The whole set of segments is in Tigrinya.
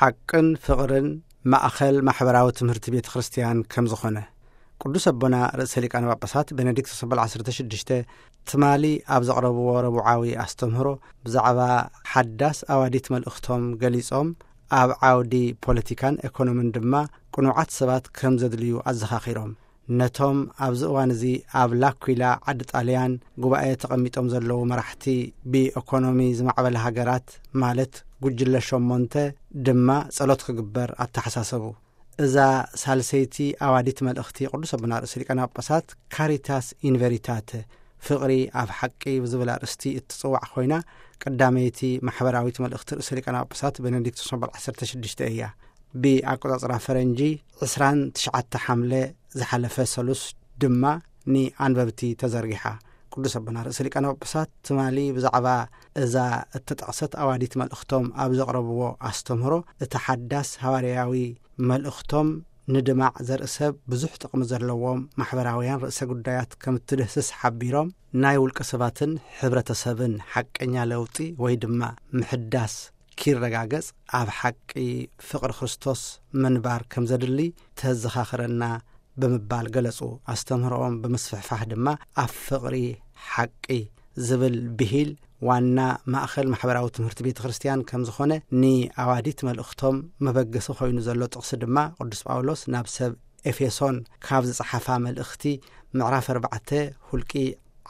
ሓቅን ፍቕርን ማእኸል ማሕበራዊ ትምህርቲ ቤተ ክርስቲያን ከም ዝኾነ፣ ቅዱስ ኣቦና ርእሰ ሊቃነ ጳጳሳት ቤኔዲክቶስ ኣበል ዓሰርተ ሽዱሽተ ትማሊ ኣብ ዘቕረብዎ ረቡዓዊ ኣስተምህሮ ብዛዕባ ሓዳስ ኣዋዲት መልእኽቶም ገሊጾም፣ ኣብ ዓውዲ ፖለቲካን ኤኮኖምን ድማ ቅኑዓት ሰባት ከም ዘድልዩ ኣዘኻኺሮም። ነቶም ኣብዚ እዋን እዚ ኣብ ላኩላ ዓዲ ጣልያን ጉባኤ ተቐሚጦም ዘለዉ መራሕቲ ብኤኮኖሚ ዝማዕበለ ሃገራት፣ ማለት ጉጅለ ሸሞንተ፣ ድማ ጸሎት ክግበር ኣተሓሳሰቡ። እዛ ሳልሰይቲ ኣዋዲት መልእኽቲ ቅዱስ ኣቦና ርእሰ ሊቃነ ጳጳሳት ካሪታስ ኢንቨሪታተ፣ ፍቕሪ ኣብ ሓቂ ብዝብል ኣርእስቲ እትጽዋዕ ኮይና፣ ቀዳመይቲ ማሕበራዊት መልእኽቲ ርእሰ ሊቃነ ጳጳሳት ቤኔዲክቶስ ኣበል ዓሰርተ ሽዱሽተ እያ። ብኣቆጻጽራ ፈረንጂ ዕስራን ትሽዓተ ሓምለ ዝሓለፈ ሰሉስ ድማ ንኣንበብቲ ተዘርጊሓ። ቅዱስ ኣቦና ርእሰ ሊቃነ ጳጳሳት ትማሊ ብዛዕባ እዛ እተጠቕሰት ኣዋዲት መልእኽቶም ኣብ ዘቕረብዎ ኣስተምህሮ፣ እቲ ሓዳስ ሃዋርያዊ መልእኽቶም ንድማዕ ዘርኢ ሰብ ብዙሕ ጥቕሚ ዘለዎም ማሕበራውያን ርእሰ ጉዳያት ከም እትድህስስ ሓቢሮም፣ ናይ ውልቀ ሰባትን ሕብረተሰብን ሓቀኛ ለውጢ ወይ ድማ ምሕዳስ ኪረጋገጽ ኣብ ሓቂ ፍቕሪ ክርስቶስ ምንባር ከም ዘድሊ ተዘኻኽረና ብምባል ገለጹ። ኣስተምህሮኦም ብምስፍሕፋሕ ድማ ኣብ ፍቕሪ ሓቂ ዝብል ብሂል ዋና ማእኸል ማሕበራዊ ትምህርቲ ቤተ ክርስቲያን ከም ዝኾነ ንኣዋዲት መልእኽቶም መበገሲ ኮይኑ ዘሎ ጥቕሲ ድማ ቅዱስ ጳውሎስ ናብ ሰብ ኤፌሶን ካብ ዝጸሓፋ መልእኽቲ ምዕራፍ ኣርባዕተ ሁልቂ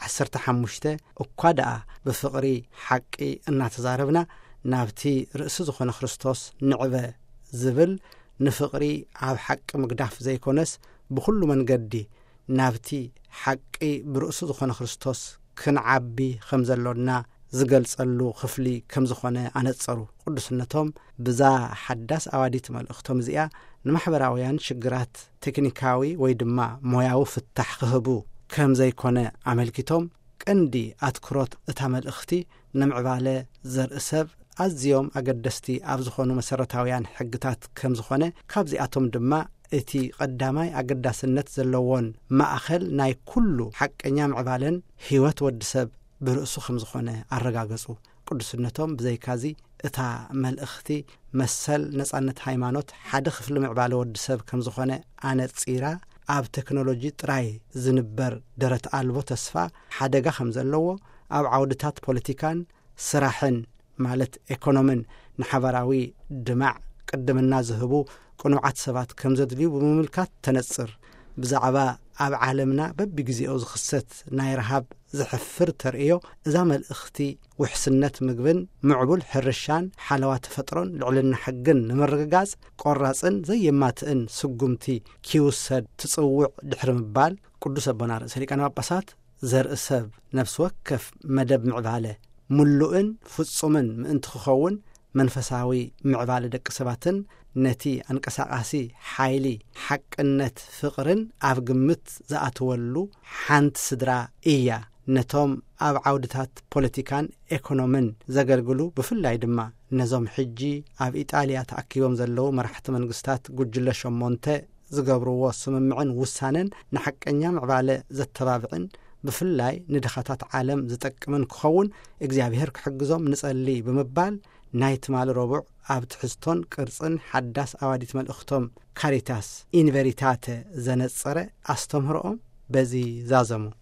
ዓሰርተ ሓሙሽተ፣ እኳ ደኣ ብፍቕሪ ሓቂ እናተዛረብና ናብቲ ርእሲ ዝኾነ ክርስቶስ ንዕበ ዝብል ንፍቕሪ ኣብ ሓቂ ምግዳፍ ዘይኮነስ ብኹሉ መንገዲ ናብቲ ሓቂ ብርእሱ ዝኾነ ክርስቶስ ክንዓቢ ከም ዘሎና ዝገልጸሉ ክፍሊ ከም ዝኾነ ኣነጸሩ። ቅዱስነቶም ብዛ ሓዳስ ኣዋዲት መልእኽቶም እዚኣ ንማሕበራውያን ሽግራት ቴክኒካዊ ወይ ድማ ሞያዊ ፍታሕ ክህቡ ከም ዘይኮነ ኣመልኪቶም፣ ቀንዲ ኣትኩሮት እታ መልእኽቲ ንምዕባለ ዘርኢ ሰብ ኣዝዮም ኣገደስቲ ኣብ ዝኾኑ መሰረታውያን ሕግታት ከም ዝኾነ፣ ካብዚኣቶም ድማ እቲ ቀዳማይ ኣገዳስነት ዘለዎን ማእኸል ናይ ኩሉ ሓቀኛ ምዕባለን ህይወት ወዲ ሰብ ብርእሱ ከም ዝኾነ ኣረጋገጹ። ቅዱስነቶም ብዘይካዚ እታ መልእኽቲ መሰል ነጻነት ሃይማኖት ሓደ ክፍሊ ምዕባለ ወዲ ሰብ ከም ዝኾነ ኣነጺራ፣ ኣብ ቴክኖሎጂ ጥራይ ዝንበር ደረት ኣልቦ ተስፋ ሓደጋ ከም ዘለዎ፣ ኣብ ዓውድታት ፖለቲካን ስራሕን ማለት ኤኮኖምን ንሓባራዊ ድማዕ ቅድምና ዝህቡ ቅኑዓት ሰባት ከም ዘድልዩ ብምምልካት ተነጽር። ብዛዕባ ኣብ ዓለምና በብግዜኡ ዝኽሰት ናይ ረሃብ ዘሕፍር ተርእዮ፣ እዛ መልእኽቲ ውሕስነት ምግብን ምዕቡል ሕርሻን ሓለዋ ተፈጥሮን ልዕልና ሕግን ንምርግጋጽ ቆራጽን ዘየማትእን ስጉምቲ ኪውሰድ ትጽውዕ ድሕሪ ምባል፣ ቅዱስ ኣቦና ርእሰ ሊቃነ ጳጳሳት ዘርኢ ሰብ ነፍሲ ወከፍ መደብ ምዕባለ ምሉእን ፍጹምን ምእንቲ ክኸውን መንፈሳዊ ምዕባለ ደቂ ሰባትን ነቲ ኣንቀሳቓሲ ሓይሊ ሓቅነት ፍቕርን ኣብ ግምት ዝኣትወሉ ሓንቲ ስድራ እያ። ነቶም ኣብ ዓውድታት ፖለቲካን ኤኮኖምን ዘገልግሉ ብፍላይ ድማ ነዞም ሕጂ ኣብ ኢጣልያ ተኣኪቦም ዘለዉ መራሕቲ መንግስታት ጉጅለ ሸሞንተ ዝገብርዎ ስምምዕን ውሳነን ንሓቀኛ ምዕባለ ዘተባብዕን ብፍላይ ንድኻታት ዓለም ዝጠቅምን ክኸውን እግዚኣብሔር ክሕግዞም ንጸሊ ብምባል ናይ ትማሊ ረቡዕ ኣብ ትሕዝቶን ቅርጽን ሓዳስ ኣዋዲት መልእኽቶም ካሪታስ ኢንቨሪታተ ዘነጸረ ኣስተምህሮኦም በዚ ዛዘሙ።